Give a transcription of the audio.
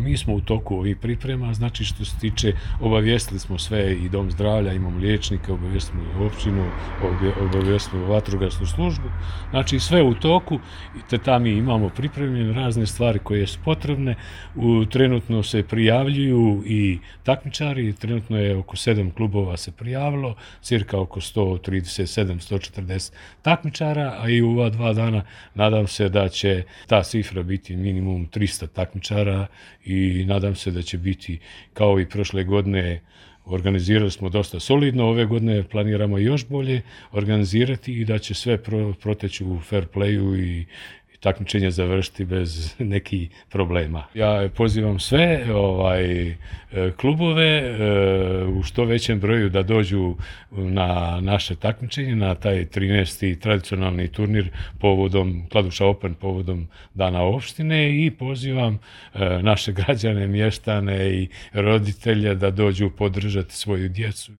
mi smo u toku ovih priprema, znači što se tiče, obavijestili smo sve i dom zdravlja, imamo liječnike, obavijestili smo općinu, obavijestili vatrogasnu službu, znači sve u toku, te tamo mi imamo pripremljene razne stvari koje su potrebne, trenutno se prijavljuju i takmičari, trenutno je oko 7 klubova se prijavilo, cirka oko 137-140 takmičara, a i u ova 2 dana nadam se da će ta cifra biti minimum 300 takmičara i nadam se da će biti kao i prošle godine. Organizirali smo dosta solidno, ove godine planiramo još bolje organizirati i da će sve proteći u fair playu i takmičenje završiti bez nekih problema. Ja pozivam sve klubove u što većem broju da dođu na naše takmičenje, na taj 13. tradicionalni turnir povodom Kladuša Open, povodom Dana opštine, i pozivam naše građane, mještane i roditelje da dođu podržati svoju djecu.